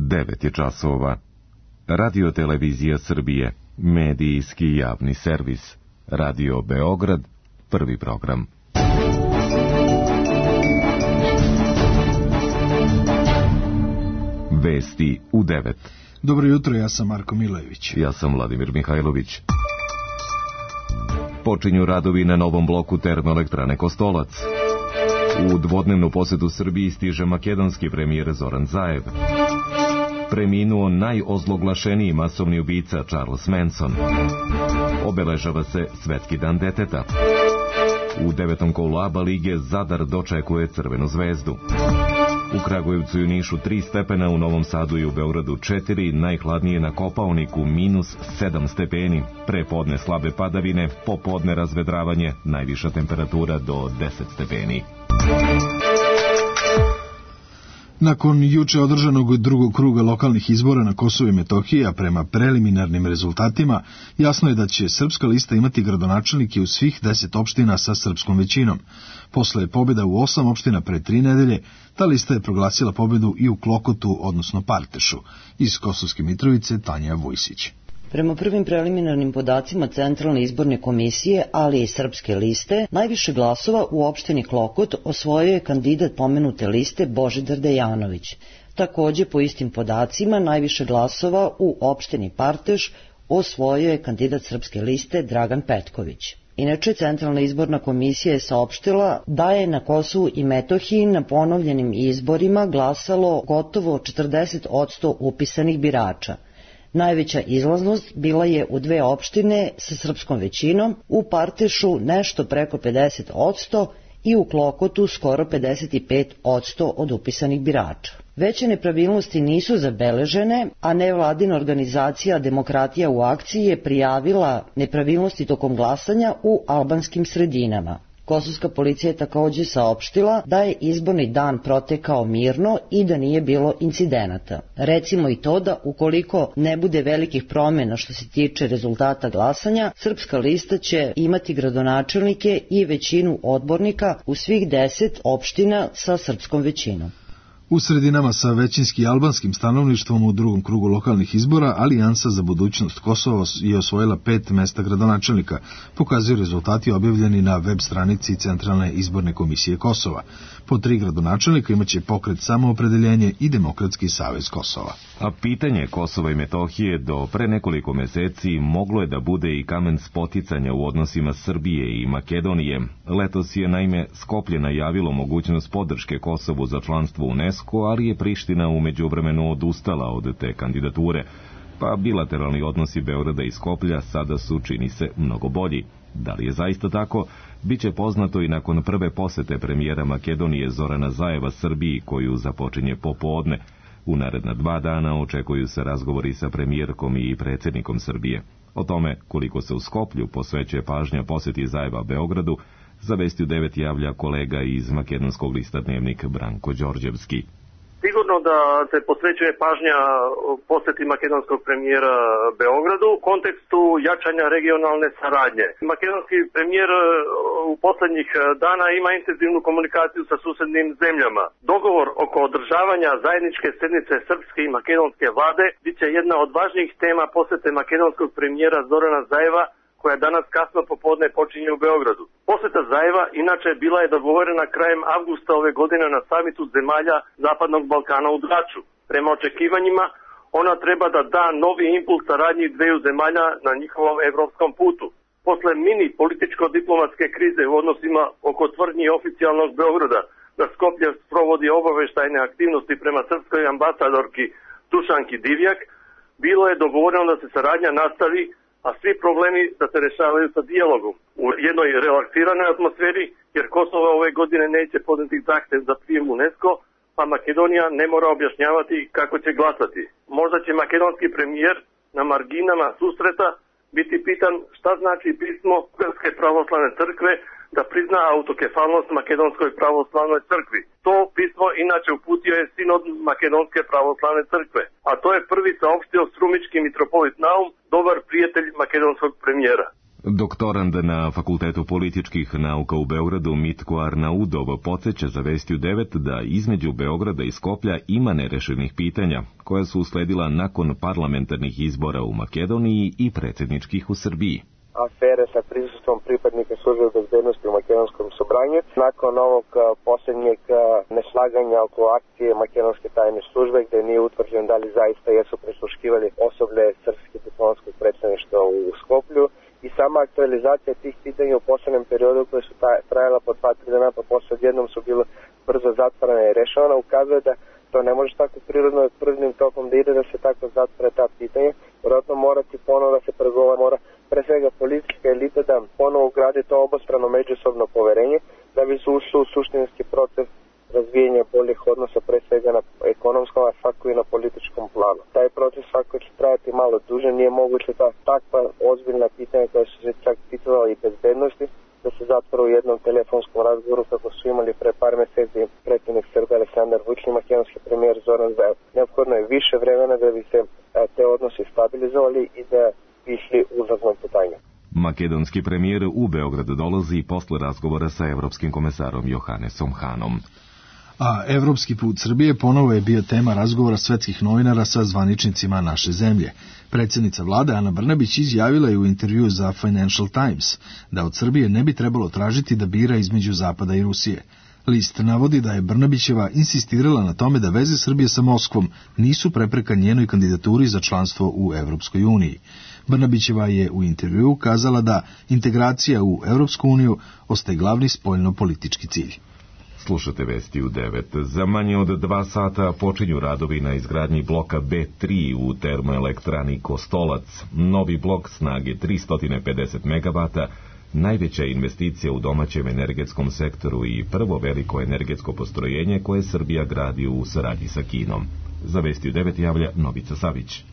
9 je časova. Radio Televizija Srbije, medijski javni servis. Radio Beograd, prvi program. Vesti u 9. Dobro jutro, ja sam Marko Milojević. Ja sam Vladimir Mihajlović. Počinju radovi na novom bloku termoelektrane Kostolac. U dvodnevnu posetu Srbiji stiže makedonski premijer Zoran Zaev. Preminuo najozloglašeniji masovni ubica Charles Manson. Obeležava se Svetski dan deteta. U 9. kolu ABA lige Zadar dočekuje Crvenu zvezdu. U Kragujevcu i u Nišu 3 stepena, u Novom Sadu i u Beogradu 4, najhladnije na Kopaoniku -7 stepeni, prepodne slabe padavine, popodne razvedravanje, najviša temperatura do 10 stepeni. Nakon juče održanog drugog kruga lokalnih izbora na Kosovu i Metohiji, a prema preliminarnim rezultatima, jasno je da će Srpska lista imati gradonačelnike u svih 10 opština sa srpskom većinom. Posle pobjeda u 8 opština pre 3 nedelje, ta lista je proglasila pobjedu i u Klokotu, odnosno Partešu. Iz Kosovske Mitrovice, Tanja Vojsić. Prema prvim preliminarnim podacima Centralne izborne komisije, ali i Srpske liste, najviše glasova u opštini Klokot osvojio je kandidat pomenute liste Božidar Dejanović. Takođe, po istim podacima, najviše glasova u opštini Parteš osvojio je kandidat Srpske liste Dragan Petković. Inače, Centralna izborna komisija je saopštila da je na Kosovu i Metohiji na ponovljenim izborima glasalo gotovo 40% upisanih birača. Najveća izlaznost bila je u 2 opštine sa srpskom većinom, u Partešu nešto preko 50% i u Klokotu skoro 55% od upisanih birača. Veće nepravilnosti nisu zabeležene, a nevladina organizacija Demokratija u akciji je prijavila nepravilnosti tokom glasanja u albanskim sredinama. Kosovska policija je takođe saopštila da je izborni dan protekao mirno i da nije bilo incidenata. Recimo i to da ukoliko ne bude velikih promjena što se tiče rezultata glasanja, Srpska lista će imati gradonačelnike i većinu odbornika u svih 10 opština sa srpskom većinom. U sredinama sa većinski albanskim stanovništvom u drugom krugu lokalnih izbora, Alijansa za budućnost Kosova je osvojila 5 mesta gradonačelnika, pokazuju rezultati objavljeni na web stranici Centralne izborne komisije Kosova. Po 3 gradonačelnika imaće Pokret Samoopredeljenje i Demokratski savez Kosova. A pitanje Kosova i Metohije do pre nekoliko meseci moglo je da bude i kamen spoticanja u odnosima Srbije i Makedonije. Letos je naime Skoplje najavilo mogućnost podrške Kosovu za članstvo u UNESCO, ali je Priština u međuvremenu odustala od te kandidature, pa bilateralni odnosi Beograda i Skoplja sada su, čini se, mnogo bolji. Da li je zaista tako, biće poznato i nakon prve posete premijera Makedonije Zorana Zaeva Srbiji, koju započinje popodne. U naredna 2 dana očekuju se razgovori sa premijerkom i predsjednikom Srbije. O tome koliko se u Skoplju posvećuje pažnja poseti Zaeva Beogradu, za Vesti u 9 javlja kolega iz makedonskog lista Dnevnik Branko Đorđevski. Sigurno da se posvećuje pažnja poseti makedonskog premijera Beogradu u kontekstu jačanja regionalne saradnje. Makedonski premijer u poslednjih dana ima intenzivnu komunikaciju sa susednim zemljama. Dogovor oko održavanja zajedničke sednice srpske i makedonske vlade biće jedna od važnijih tema posete makedonskog premijera Zorana Zaeva, koja danas kasno popodne počinje u Beogradu. Poseta Zaeva inače bila je dogovorena krajem avgusta ove godine na samitu zemalja Zapadnog Balkana u Draču. Prema očekivanjima, ona treba da da novi impuls saradnji dveju zemalja na njihovom evropskom putu. Posle mini političko-diplomatske krize u odnosima oko tvrdnji oficijalnog Beograda da Skoplje sprovodi obaveštajne aktivnosti prema srpskoj ambasadorki Dušanki Divjak, bilo je dogovoreno da se saradnja nastavi, a svi problemi da se rešavaju sa dijalogom u jednoj relaksiranoj atmosferi, jer Kosovo ove godine neće podneti zahtev za prijem UNESCO, pa Makedonija ne mora objašnjavati kako će glasati. Možda će makedonski premijer na marginama susreta biti pitan šta znači pismo Srpske pravoslavne crkve da prizna autokefalnost Makedonskoj pravoslavnoj crkvi. To pismo inače uputio je sinod Makedonske pravoslavne crkve, a to je prvi saopštio strumički mitropolit Naum, dobar prijatelj makedonskog premijera. Doktorand na Fakultetu političkih nauka u Beogradu Mitko Arnaudov podsjeća za Vesti u 9 da između Beograda i Skoplja ima nerešenih pitanja, koja su usledila nakon parlamentarnih izbora u Makedoniji i predsjedničkih u Srbiji. Afere sa prisustvom pripadnika službe bezbednosti u makedonskom sobranju. Nakon ovog posljednjeg neslaganja oko akcije makedonske tajne službe, gde nije utvrđen da li zaista jesu prisluškivali osoblje srpskog diplomatskog predstavništva u Skoplju, i sama aktualizacija tih pitanja u poslednjem periodu koje su trajala po 2-3 dana, pa posle odjednom su bilo brzo zatvarane i rešavana, ukazuje da to ne može tako prirodno prvnim tokom da ide, da se tako zatvore ta pitanja. Vjerojatno morati ponovo da se pregovara, mora pre svega politička elita da ponovo ugradi to obostrano međusobno poverenje, da bi se ušlo u suštinski proces razvijenja boljih odnosa, pre svega na ekonomskom, a svako i na političkom planu. Taj proces svako će trajati malo duže, nije moguće da takva ozbiljna pitanja koja su se čak ticala i bezbednosti, da se zatvore u jednom telefonskom razgovoru kako su imali pre par meseci predsjednik Srbije Aleksandar Vučić i makedonski premijer Zoran Zaev. Neophodno je više vremena da bi se te odnosi stabilizovali i da bi išli uzlaznom putanjem. Makedonski premijer u Beograd dolazi posle razgovora sa evropskim komesarom Johannesom Hanom. A evropski put Srbije ponovo je bio tema razgovora svetskih novinara sa zvaničnicima naše zemlje. Predsjednica vlade Ana Brnabić izjavila je u intervjuu za Financial Times da od Srbije ne bi trebalo tražiti da bira između Zapada i Rusije. List navodi da je Brnabićeva insistirala na tome da veze Srbije sa Moskvom nisu prepreka njenoj kandidaturi za članstvo u Evropskoj uniji. Brnabićeva je u intervjuu kazala da integracija u Evropsku uniju ostaje glavni spoljno-politički cilj. Slušate Vesti u 9. Za manje od 2 sata počinju radovi na izgradnji bloka B3 u termoelektrani Kostolac. Novi blok snage 350 megavata, najveća investicija u domaćem energetskom sektoru i prvo veliko energetsko postrojenje koje Srbija gradi u saradnji sa Kinom. Za Vesti u 9 javlja Novica Savić.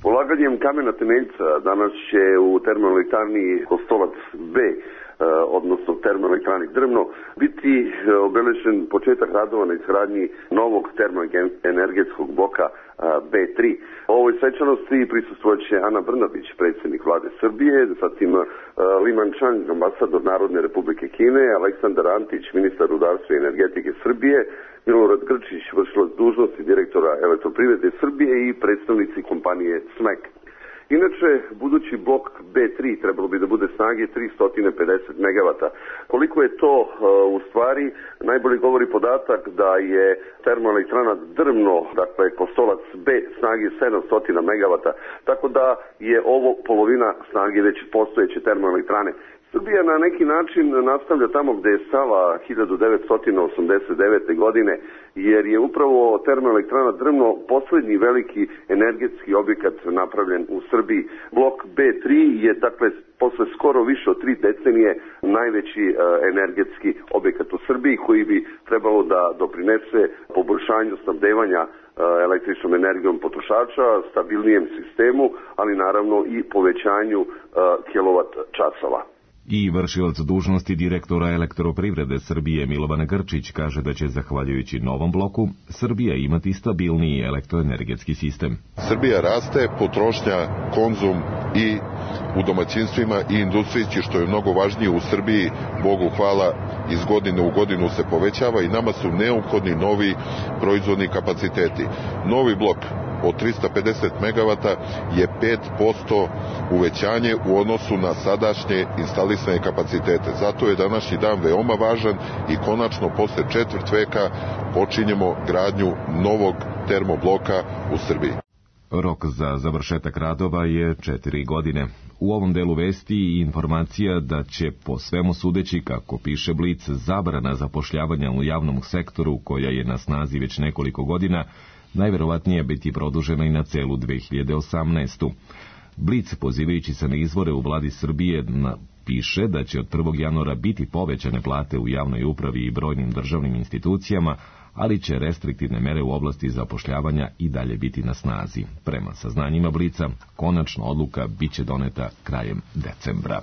Polaganjem kamena temeljca danas će u termoelektrani Kostolac B, odnosno termoelektrani Drvno, biti obeležen početak radova na izgradnji novog termoenergetskog bloka B3. Ovoj svečanosti prisustvovat će Ana Brnabić, predsjednik vlade Srbije, zatim Liman Čang, ambasador Narodne republike Kine, Aleksandar Antić, ministar rudarstva i energetike Srbije, Milorad Grčić, vršilac dužnosti direktora Elektroprivrede Srbije i predstavnici kompanije SMEK. Inače, budući blok B3 trebalo bi da bude snage 350 megavata. Koliko je to u stvari, najbolje govori podatak da je termoelektrana Drvno, dakle Kostolac B, snage 700 megavata, tako da je ovo polovina snage već postojeće termoelektrane. Srbija na neki način nastavlja tamo gde je stala 1989. godine, jer je upravo termoelektrana Drvno poslednji veliki energetski objekat napravljen u Srbiji. Blok B3 je, dakle, posle skoro više od 3 decenije najveći energetski objekat u Srbiji, koji bi trebalo da doprinese poboljšanju snabdevanja električnom energijom potrošača, stabilnijem sistemu, ali naravno i povećanju kilovat časova. I vršilac dužnosti direktora Elektroprivrede Srbije Milovan Grčić kaže da će, zahvaljujući novom bloku, Srbija imati stabilniji elektroenergetski sistem. Srbija raste, potrošnja, konzum i u domaćinstvima i industriji, što je mnogo važnije u Srbiji, Bogu hvala, iz godine u godinu se povećava i nama su neophodni novi proizvodni kapaciteti. Novi blok od 350 megavata je 5% uvećanje u odnosu na sadašnje instalisane kapacitete. Zato je današnji dan veoma važan i konačno posle 4 veka počinjemo gradnju novog termobloka u Srbiji. Rok za završetak radova je 4 godine. U ovom delu vesti i informacija da će, po svemu sudeći, kako piše Blic, zabrana zapošljavanja u javnom sektoru, koja je na snazi već nekoliko godina, najverovatnije biti produžena i na celu 2018. Blic, pozivajući se na izvore u vladi Srbije, piše da će od 1. januara biti povećane plate u javnoj upravi i brojnim državnim institucijama, ali će restriktivne mere u oblasti zapošljavanja i dalje biti na snazi. Prema saznanjima Blica, konačna odluka biće doneta krajem decembra.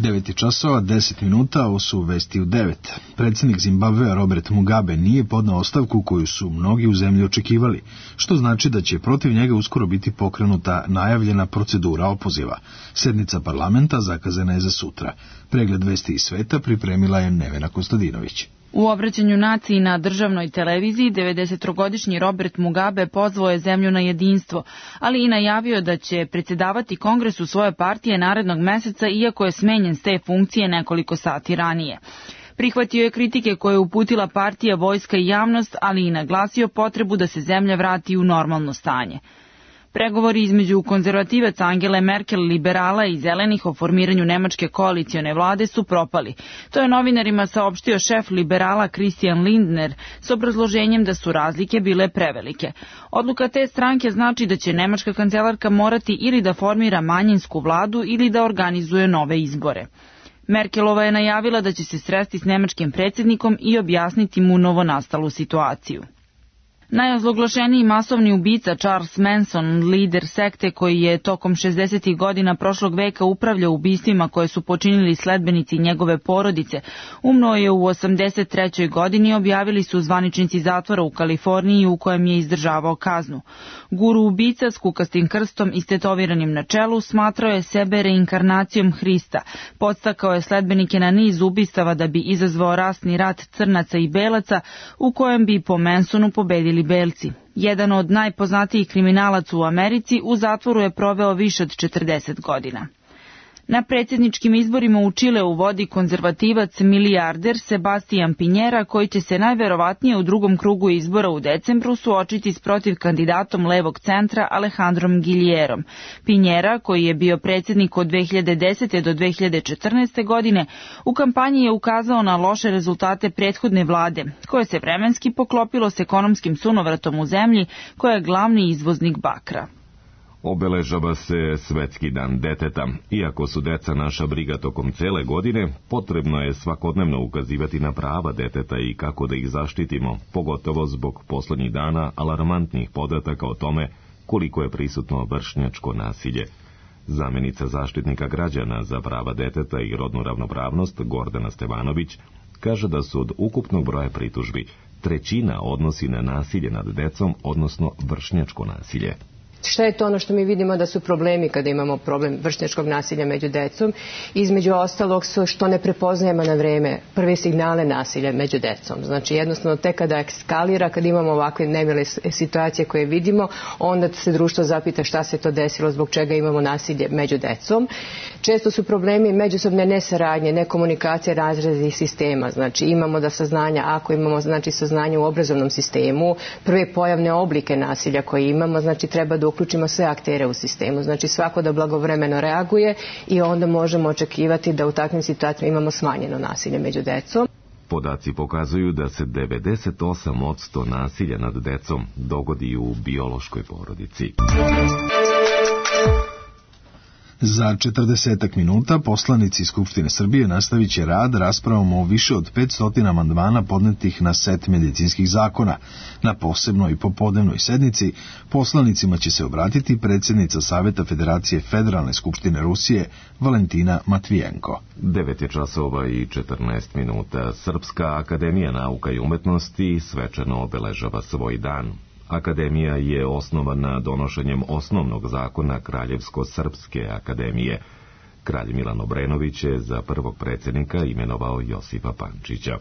9 časova, 10 minuta, ovo su vesti u 9. Predsjednik Zimbabvea Robert Mugabe nije podneo ostavku koju su mnogi u zemlji očekivali, što znači da će protiv njega uskoro biti pokrenuta najavljena procedura opoziva. Sednica parlamenta zakazana je za sutra. Pregled vesti iz sveta pripremila je Nevena Kostadinović. U obraćanju naciji na državnoj televiziji 90-godišnji Robert Mugabe pozvao je zemlju na jedinstvo, ali i najavio da će predsjedavati kongresu svoje partije narednog meseca, iako je smenjen s te funkcije nekoliko sati ranije. Prihvatio je kritike koje je uputila partija, vojska i javnost, ali i naglasio potrebu da se zemlja vrati u normalno stanje. Pregovori između konzervativaca Angele Merkel, liberala i zelenih o formiranju nemačke koalicione vlade su propali. To je novinarima saopštio šef liberala Christian Lindner s obrazloženjem da su razlike bile prevelike. Odluka te stranke znači da će nemačka kancelarka morati ili da formira manjinsku vladu ili da organizuje nove izbore. Merkelova je najavila da će se sresti s nemačkim predsjednikom i objasniti mu novonastalu situaciju. Najozloglašeniji masovni ubica Charles Manson, lider sekte koji je tokom 60. godina prošlog veka upravljao ubistvima koje su počinili sledbenici njegove porodice, umro je u 83. godini, objavili su zvaničnici zatvora u Kaliforniji u kojem je izdržavao kaznu. Guru ubica s kukastim krstom i stetoviranim na čelu smatrao je sebe reinkarnacijom Hrista, podstakao je sledbenike na niz ubistava da bi izazvao rasni rat crnaca i belaca u kojem bi po Mansonu pobedili belci. Jedan od najpoznatijih kriminalaca u Americi u zatvoru je proveo više od 40 godina. Na predsjedničkim izborima u Čileu vodi konzervativac milijarder Sebastian Pinjera, koji će se najverovatnije u drugom krugu izbora u decembru suočiti s protiv kandidatom levog centra Alejandrom Giljerom. Pinjera, koji je bio predsjednik od 2010. do 2014. godine, u kampanji je ukazao na loše rezultate prethodne vlade, koje se vremenski poklopilo s ekonomskim sunovratom u zemlji, koja je glavni izvoznik bakra. Obeležava se Svetski dan deteta. Iako su deca naša briga tokom cele godine, potrebno je svakodnevno ukazivati na prava deteta i kako da ih zaštitimo, pogotovo zbog poslednjih dana alarmantnih podataka o tome koliko je prisutno vršnjačko nasilje. Zamenica zaštitnika građana za prava deteta i rodnu ravnopravnost Gordana Stevanović kaže da su od ukupnog broja pritužbi 1/3 odnosi na nasilje nad decom, odnosno vršnjačko nasilje. Šta je to ono što mi vidimo da su problemi kada imamo problem vršnjačkog nasilja među decom? Između ostalog su što ne prepoznajemo na vreme prve signale nasilja među decom. Znači jednostavno tek kada eskalira, kada imamo ovakve nemile situacije koje vidimo, onda se društvo zapita šta se to desilo, zbog čega imamo nasilje među decom. Često su problemi međusobne nesaradnje, nekomunikacije razrednih sistema. Znači imamo da saznanja, ako imamo znači saznanje u obrazovnom sistemu, prve pojavne oblike nasilja koje imamo, znači treba da uključimo sve aktere u sistemu, znači svako da blagovremeno reaguje i onda možemo očekivati da u takvim situacijama imamo smanjeno nasilje među decom. Podaci pokazuju da se 98% nasilja nad decom dogodi u biološkoj porodici. Za 40 minuta poslanici Skupštine Srbije nastavit će rad raspravom o više od 500 amandmana podnetih na set medicinskih zakona. Na posebnoj popodnevnoj sednici poslanicima će se obratiti predsjednica Saveta Federacije Federalne skupštine Rusije Valentina Matvijenko. 9 časova i 14 minuta. Srpska akademija nauka i umetnosti svečano obeležava svoj dan. Akademija je osnovana donošenjem osnovnog zakona Kraljevsko-srpske akademije. Kralj Milan Obrenović je za prvog predsjednika imenovao Josipa Pančića.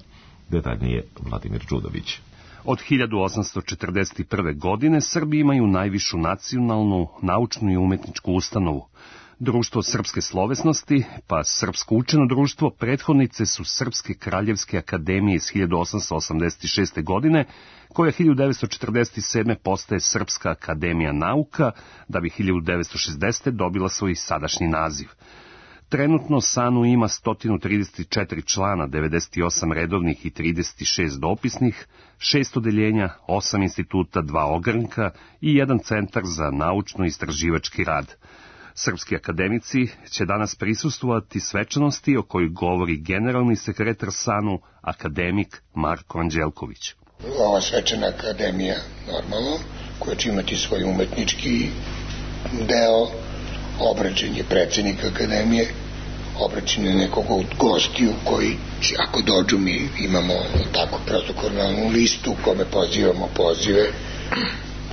Detaljnije Vladimir Đudović. Od 1841. godine Srbi imaju najvišu nacionalnu, naučnu i umetničku ustanovu. Društvo srpske slovesnosti, pa Srpsko učeno društvo, prethodnice su Srpske kraljevske akademije iz 1886. godine, koja 1947. postaje Srpska akademija nauka, da bi 1960. dobila svoj sadašnji naziv. Trenutno SANU ima 134 člana, 98 redovnih i 36 dopisnih, 6 odeljenja, 8 instituta, 2 ogranka i 1 centar za naučno-istraživački rad. Srpski akademici će danas prisustvovati svečanosti o kojoj govori generalni sekretar SANU, akademik Marko Anđelković. Ova svečana akademija, normalno, koja će imati svoj umetnički deo, obraćanje predsjednika akademije, obraćanje nekog od gostiju koji će, ako dođu, mi imamo tako protokolnu listu u kome pozivamo pozive.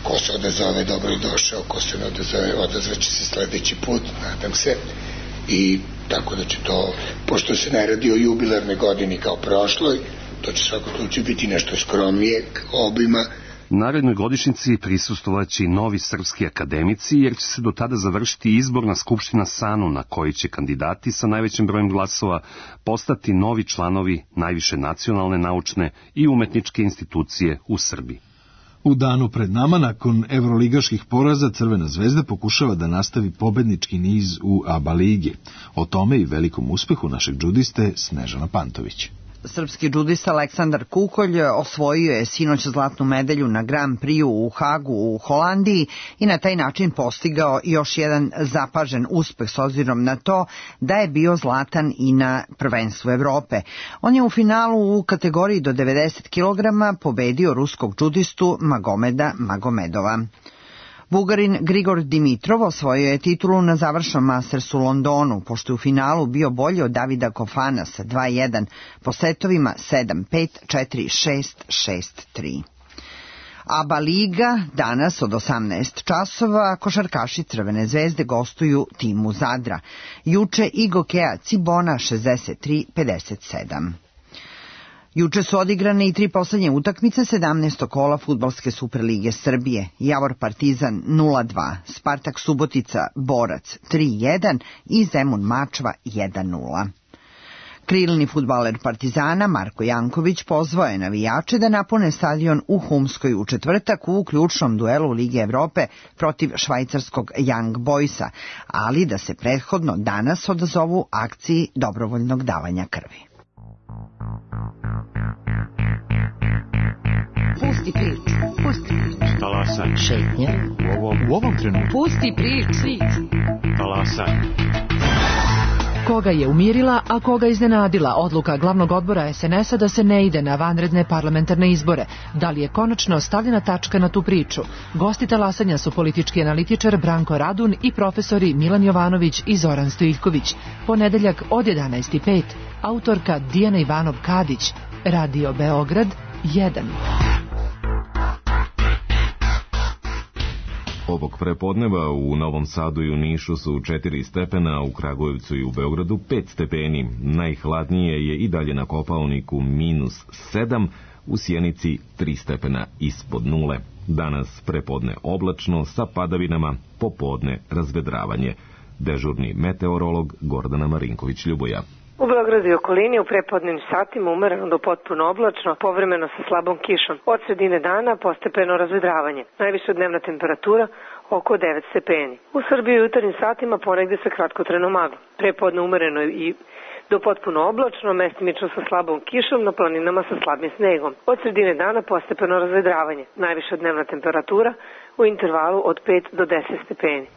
Ko se odazove, dobro je došao, ko se ne odazove, odazvaće se sledeći put, nadam se. I tako da će to, pošto se ne radi o jubilarnoj godini kao prošloj, to će svakog slučaju biti nešto skromnijeg obima. Narednoj godišnjici prisustvovaće i novi srpski akademici, jer će se do tada završiti izborna skupština SANU, na kojoj će kandidati sa najvećim brojem glasova postati novi članovi najviše nacionalne, naučne i umetničke institucije u Srbiji. U danu pred nama, nakon evroligaških poraza, Crvena zvezda pokušava da nastavi pobednički niz u ABA ligi. O tome i velikom uspehu našeg džudiste Snežana Pantović. Srpski džudista Aleksandar Kukolj osvojio je sinoć zlatnu medalju na Grand Prixu u Hagu u Holandiji i na taj način postigao još jedan zapažen uspeh s obzirom na to da je bio zlatan i na prvenstvu Evrope. On je u finalu u kategoriji do 90 kg pobedio ruskog džudistu Magomeda Magomedova. Bugarin Grigor Dimitrov osvojio je titulu na završnom Mastersu u Londonu, pošto je u finalu bio bolji od Davida Kofana sa 2-1 po setovima 7-5, 4-6, 6-3. ABA liga danas od 18 časova košarkaši Crvene zvezde gostuju timu Zadra. Juče Igokea Cibona 63-57. Juče su odigrane i 3 poslednje utakmice 17. kola Fudbalske Superlige Srbije. Javor Partizan 0-2, Spartak Subotica Borac 3-1 i Zemun Mačva 1-0. Krilni fudbaler Partizana Marko Janković pozvao je navijače da napune stadion u Humskoj u četvrtak u ključnom duelu Lige Evrope protiv švajcarskog Young Boysa, ali da se prethodno danas odazovu akciji dobrovoljnog davanja krvi. Pusti priču. Pusti priču. Talasaj. Šetnja. U ovom trenutku. Pusti priču. Talasaj. Koga je umirila, a koga iznenadila odluka glavnog odbora SNS-a da se ne ide na vanredne parlamentarne izbore? Da li je konačno stavljena tačka na tu priču? Gosti talasanja su politički analitičar Branko Radun i profesori Milan Jovanović i Zoran Stojiljković. Ponedeljak od 11:05. Autorka Dijana Ivanov-Kadić. Radio Beograd 1. Ovog prepodneva u Novom Sadu i u Nišu su 4 stepena, u Kragujevcu i u Beogradu 5 stepeni. Najhladnije je i dalje na Kopaoniku -7, u Sjenici 3 stepena ispod nule. Danas prepodne oblačno sa padavinama, popodne razvedravanje. Dežurni meteorolog Gordana Marinković-Ljuboja. U Beogradu i okolini u prepodnim satima umereno do potpuno oblačno, povremeno sa slabom kišom. Od sredine dana postepeno razvedravanje. Najviša dnevna temperatura oko 9 stepeni. U Srbiji u jutarnjim satima ponegde sa kratkotrajnom maglom. Prepodne umereno i do potpuno oblačno, mestimično sa slabom kišom, na planinama sa slabim snegom. Od sredine dana postepeno razvedravanje. Najviša dnevna temperatura u intervalu od 5 do 10 stepeni.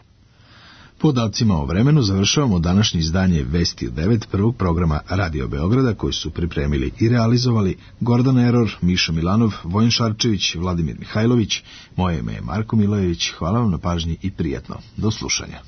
Podacima o vremenu završavamo današnje izdanje Vesti u 9 prvog programa Radio Beograda, koji su pripremili i realizovali Gordana Eror, Miša Milanov, Vojin Šarčević, Vladimir Mihajlović. Moje ime je Marko Milojević. Hvala vam na pažnji i prijatno. Do slušanja.